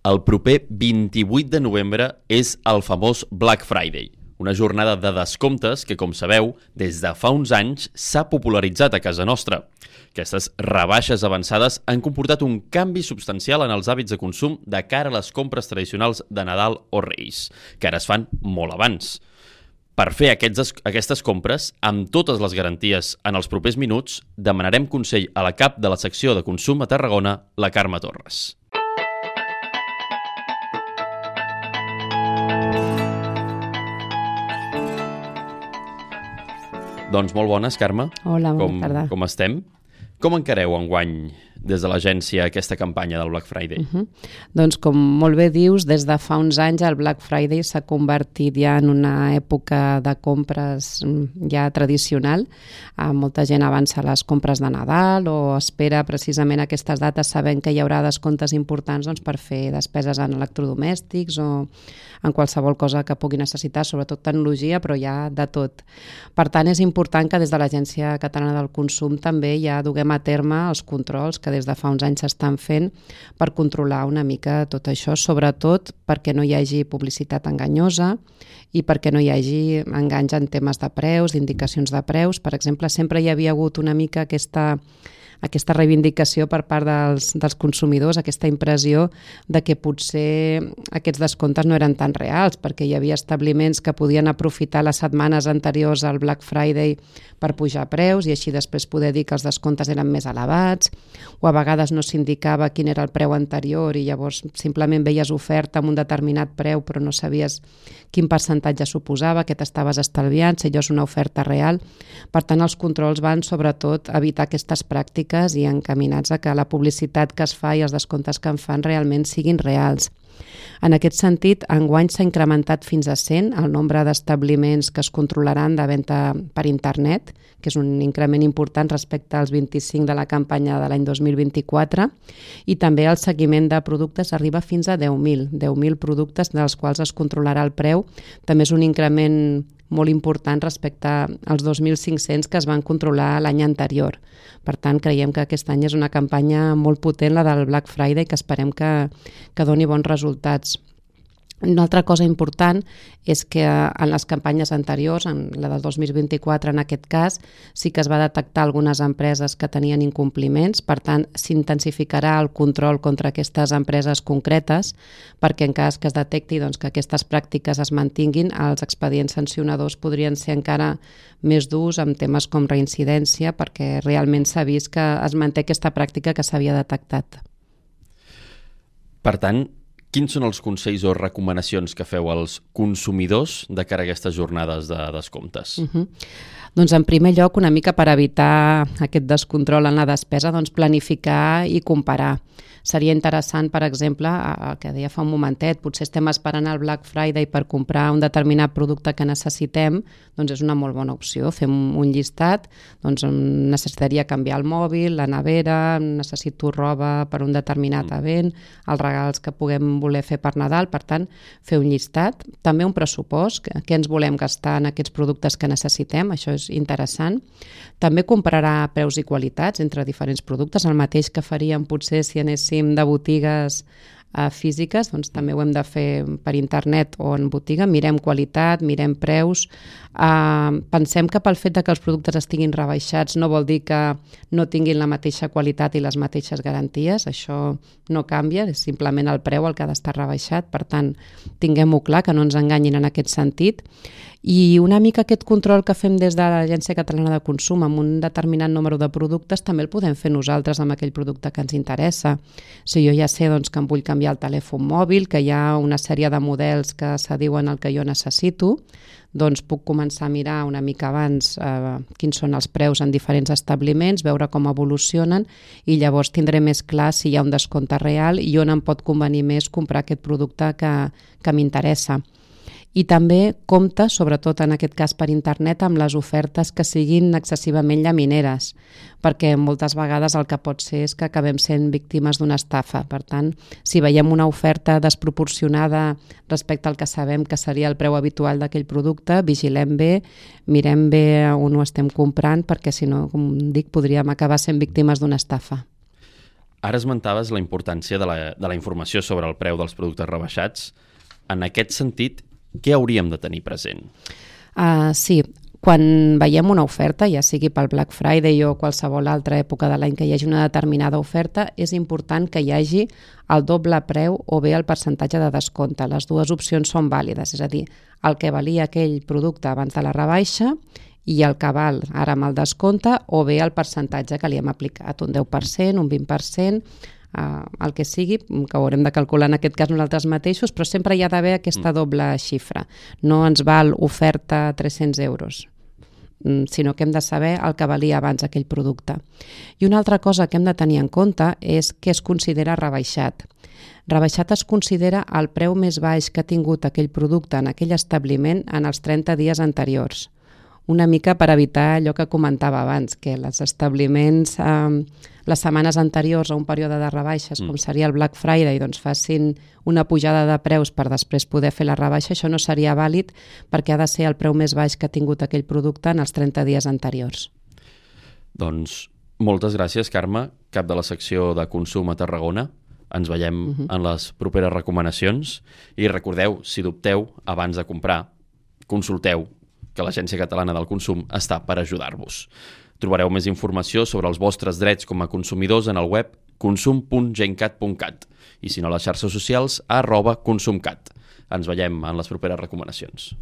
El proper 28 de novembre és el famós Black Friday, una jornada de descomptes que, com sabeu, des de fa uns anys s'ha popularitzat a casa nostra. Aquestes rebaixes avançades han comportat un canvi substancial en els hàbits de consum de cara a les compres tradicionals de Nadal o Reis, que ara es fan molt abans. Per fer aquestes compres, amb totes les garanties en els propers minuts, demanarem consell a la cap de la secció de consum a Tarragona, la Carme Torres. Doncs molt bones, Carme. Hola, bona tarda. Com estem? Com encareu enguany des de l'agència aquesta campanya del Black Friday? Doncs com molt bé dius, des de fa uns anys el Black Friday s'ha convertit ja en una època de compres ja tradicional. Molta gent avança les compres de Nadal o espera precisament aquestes dates sabent que hi haurà descomptes importants per fer despeses en electrodomèstics o en qualsevol cosa que pugui necessitar, sobretot tecnologia, però hi ha de tot. Per tant, és important que des de l'Agència Catalana del Consum també ja duguem a terme els controls que des de fa uns anys s'estan fent per controlar una mica tot això, sobretot perquè no hi hagi publicitat enganyosa i perquè no hi hagi enganys en temes de preus, d'indicacions de preus. Per exemple, sempre hi havia hagut una mica aquesta reivindicació per part dels consumidors, aquesta impressió de que potser aquests descomptes no eren tan reals, perquè hi havia establiments que podien aprofitar les setmanes anteriors al Black Friday per pujar preus i així després poder dir que els descomptes eren més elevats, o a vegades no s'indicava quin era el preu anterior i llavors simplement veies oferta amb un determinat preu però no sabies quin percentatge suposava, que t'estaves estalviant, si allò és una oferta real. Per tant, els controls van sobretot a evitar aquestes pràctiques i encaminats a que la publicitat que es fa i els descomptes que en fan realment siguin reals. En aquest sentit, enguany s'ha incrementat fins a 100 el nombre d'establiments que es controlaran de venda per internet, que és un increment important respecte als 25 de la campanya de l'any 2024, i també el seguiment de productes arriba fins a 10.000 productes dels quals es controlarà el preu. També és un increment molt important respecte als 2.500 que es van controlar l'any anterior. Per tant, creiem que aquest any és una campanya molt potent, la del Black Friday, que esperem que doni bons resultats. Una altra cosa important és que en les campanyes anteriors, en la del 2024 en aquest cas, sí que es va detectar algunes empreses que tenien incompliments, per tant s'intensificarà el control contra aquestes empreses concretes perquè en cas que es detecti que aquestes pràctiques es mantinguin, els expedients sancionadors podrien ser encara més durs amb temes com reincidència perquè realment s'ha vist que es manté aquesta pràctica que s'havia detectat. Per tant, quins són els consells o recomanacions que feu als consumidors de cara a aquestes jornades de descomptes? Doncs en primer lloc, una mica per evitar aquest descontrol en la despesa, planificar i comparar. Seria interessant, per exemple, el que deia fa un momentet, potser estem esperant el Black Friday per comprar un determinat producte que necessitem, doncs és una molt bona opció. Fem un llistat, necessitaria canviar el mòbil, la nevera, necessito roba per un determinat event, els regals que puguem voler fer per Nadal, per tant, fer un llistat. També un pressupost, què ens volem gastar en aquests productes que necessitem, això és interessant. També compararà preus i qualitats entre diferents productes, el mateix que faríem potser si anéssim de botigues físiques, doncs també ho hem de fer per internet o en botiga, mirem qualitat, mirem preus, pensem que pel fet que els productes estiguin rebaixats no vol dir que no tinguin la mateixa qualitat i les mateixes garanties, això no canvia, és simplement el preu el que ha d'estar rebaixat, per tant tinguem-ho clar, que no ens enganyin en aquest sentit. I una mica aquest control que fem des de l'Agència Catalana de Consum amb un determinat número de productes també el podem fer nosaltres amb aquell producte que ens interessa. Si jo ja sé que em vull canviar el telèfon mòbil, que hi ha una sèrie de models que s'adiuen al que jo necessito, doncs puc començar a mirar una mica abans quins són els preus en diferents establiments, veure com evolucionen i llavors tindré més clar si hi ha un descompte real i on em pot convenir més comprar aquest producte que m'interessa. I també compta, sobretot en aquest cas per internet, amb les ofertes que siguin excessivament llamineres, perquè moltes vegades el que pot ser és que acabem sent víctimes d'una estafa. Per tant, si veiem una oferta desproporcionada respecte al que sabem que seria el preu habitual d'aquell producte, vigilem bé, mirem bé on ho estem comprant, perquè si no, com dic, podríem acabar sent víctimes d'una estafa. Ara esmentaves la importància de la informació sobre el preu dels productes rebaixats. En aquest sentit, què hauríem de tenir present? Sí, quan veiem una oferta, ja sigui pel Black Friday o qualsevol altra època de l'any que hi hagi una determinada oferta, és important que hi hagi el doble preu o bé el percentatge de descompte. Les dues opcions són vàlides, és a dir, el que valia aquell producte abans de la rebaixa i el que val ara amb el descompte, o bé el percentatge que li hem aplicat, un 10%, un 20%, el que sigui, que ho haurem de calcular en aquest cas nosaltres mateixos, però sempre hi ha d'haver aquesta doble xifra. No ens val oferta 300 euros, sinó que hem de saber el que valia abans aquell producte. I una altra cosa que hem de tenir en compte és què es considera rebaixat. Rebaixat es considera el preu més baix que ha tingut aquell producte en aquell establiment en els 30 dies anteriors. Una mica per evitar allò que comentava abans, que els establiments les setmanes anteriors a un període de rebaixes, com seria el Black Friday, doncs facin una pujada de preus per després poder fer la rebaixa. Això no seria vàlid perquè ha de ser el preu més baix que ha tingut aquell producte en els 30 dies anteriors. Doncs moltes gràcies, Carme, cap de la secció de consum a Tarragona. Ens veiem en les properes recomanacions i recordeu, si dubteu, abans de comprar, consulteu, que l'Agència Catalana del Consum està per ajudar-vos. Trobareu més informació sobre els vostres drets com a consumidors en el web consum.gencat.cat i si no a les xarxes socials @consumcat. Ens veiem en les properes recomanacions.